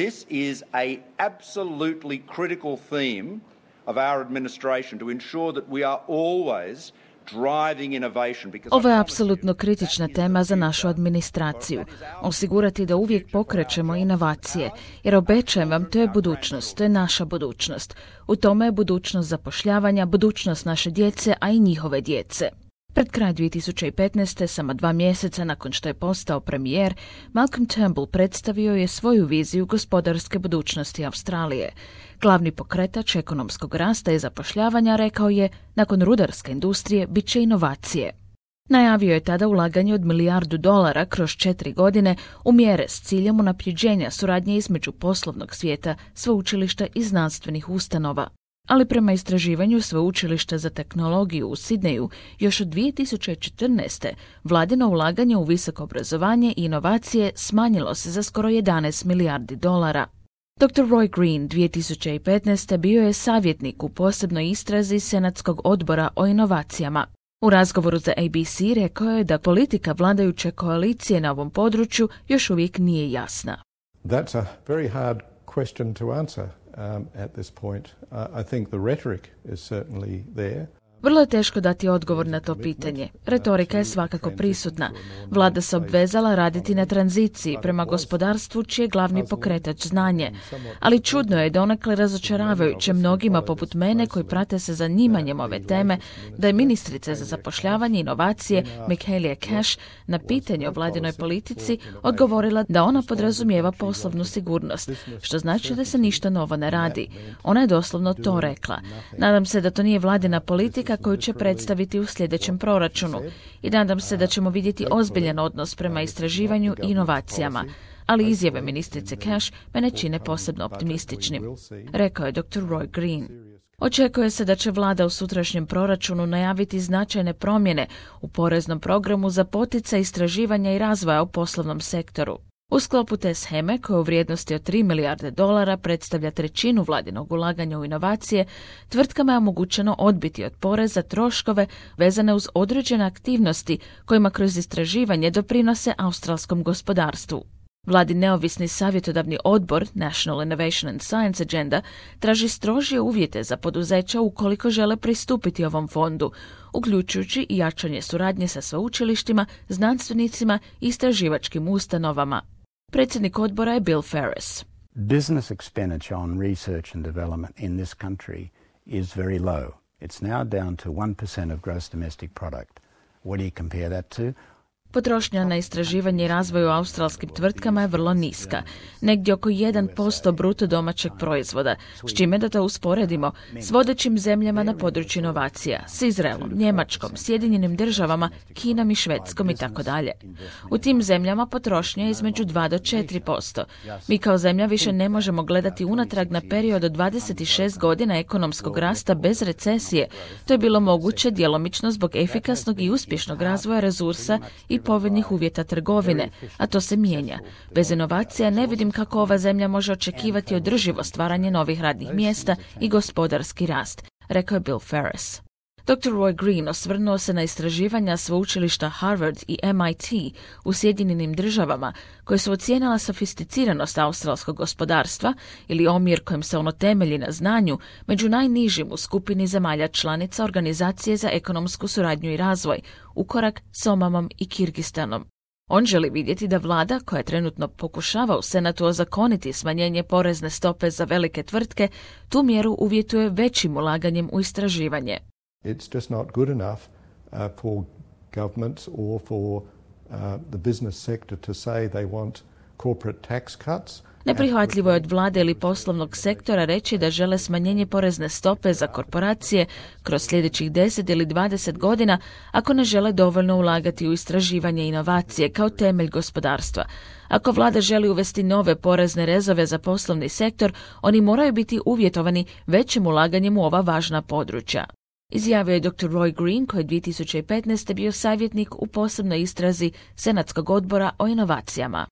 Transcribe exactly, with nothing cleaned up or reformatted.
This is a absolutely critical theme of our administration to ensure that we are always driving innovation. Ovo je apsolutno kritična tema za našu administraciju. Osigurati da uvijek pokrećemo inovacije, jer obećajem vam, to je budućnost, to je naša budućnost. U tome je budućnost zapošljavanja, budućnost naše djece, a i njihove djece. Pred kraj dvije tisuće petnaeste, samo dva mjeseca nakon što je postao premijer, Malcolm Turnbull predstavio je svoju viziju gospodarske budućnosti Australije. Glavni pokretač ekonomskog rasta i zapošljavanja, rekao je, nakon rudarske industrije bit će inovacije. Najavio je tada ulaganje od milijardu dolara kroz četiri godine u mjere s ciljem unapređenja suradnje između poslovnog svijeta, sveučilišta i znanstvenih ustanova. Ali prema istraživanju Sveučilišta za tehnologiju u Sidneju, još od dvije tisuće četrnaeste. vladino ulaganje u visoko obrazovanje i inovacije smanjilo se za skoro jedanaest milijardi dolara. doktor Roy Green dvije tisuće petnaeste. bio je savjetnik u posebnoj istrazi Senatskog odbora o inovacijama. U razgovoru za A B C rekao je da politika vladajuće koalicije na ovom području još uvijek nije jasna. That's a very hard question to answer. Um, at this point, uh, I think the rhetoric is certainly there. Vrlo je teško dati odgovor na to pitanje. Retorika je svakako prisutna. Vlada se obvezala raditi na tranziciji prema gospodarstvu čiji je glavni pokretač znanje. Ali čudno je donekle razočaravajuće mnogima poput mene koji prate se zanimanjem ove teme da je ministrica za zapošljavanje i inovacije Michaelia Cash na pitanje o vladinoj politici odgovorila da ona podrazumijeva poslovnu sigurnost, što znači da se ništa novo ne radi. Ona je doslovno to rekla. Nadam se da to nije vladina politika koju će predstaviti u sljedećem proračunu i nadam se da ćemo vidjeti ozbiljan odnos prema istraživanju i inovacijama. Ali izjave ministrice Cash me ne čine posebno optimističnim, rekao je doktor Roy Green. Očekuje se da će vlada u sutrašnjem proračunu najaviti značajne promjene u poreznom programu za poticaj istraživanja i razvoja u poslovnom sektoru. U sklopu te sheme, koja u vrijednosti od tri milijarde dolara predstavlja trećinu vladinog ulaganja u inovacije, tvrtkama je omogućeno odbiti od poreza troškove vezane uz određene aktivnosti kojima kroz istraživanje doprinose australskom gospodarstvu. Vladin neovisni savjetodavni odbor National Innovation and Science Agenda traži strožije uvjete za poduzeća ukoliko žele pristupiti ovom fondu, uključujući i jačanje suradnje sa sveučilištima, znanstvenicima i istraživačkim ustanovama. Predsjednik odbora je Bill Ferris. Business expenditure on research and development in this country is very low. It's now down to one percent of gross domestic product. What do you compare that to? Potrošnja na istraživanje i razvoj u australskim tvrtkama je vrlo niska, negdje oko jedan posto bruto domaćeg proizvoda, s čime da to usporedimo s vodećim zemljama na području inovacija, s Izraelom, Njemačkom, Sjedinjenim državama, Kinom i Švedskom i tako dalje. U tim zemljama potrošnja je između dva do četiri posto. Mi kao zemlja više ne možemo gledati unatrag na period od dvadeset šest godina ekonomskog rasta bez recesije. To je bilo moguće djelomično zbog efikasnog i uspješnog razvoja resursa i povoljnih uvjeta trgovine, a to se mijenja. Bez inovacija ne vidim kako ova zemlja može očekivati održivo stvaranje novih radnih mjesta i gospodarski rast, rekao je Bill Ferris. doktor Roy Green osvrnuo se na istraživanja sveučilišta Harvard i M I T u Sjedinjenim državama, koje su ocijenila sofisticiranost australskog gospodarstva ili omjer kojim se ono temelji na znanju među najnižim u skupini zemalja članica Organizacije za ekonomsku suradnju i razvoj, ukorak s Omamom i Kirgistanom. On želi vidjeti da vlada, koja trenutno pokušava u Senatu ozakoniti smanjenje porezne stope za velike tvrtke, tu mjeru uvjetuje većim ulaganjem u istraživanje. It's just not good enough uh, for governments or for uh, the business sector to say they want corporate tax cuts. Neprihvatljivo je od vlade ili poslovnog sektora reći da žele smanjenje porezne stope za korporacije kroz sljedećih deset ili dvadeset godina ako ne žele dovoljno ulagati u istraživanje i inovacije kao temelj gospodarstva. Ako vlada želi uvesti nove porezne rezove za poslovni sektor, oni moraju biti uvjetovani većim ulaganjem u ova važna područja. Izjavio je doktor Roy Green, koji je dvije tisuće petnaeste. bio savjetnik u posebnoj istrazi Senatskog odbora o inovacijama.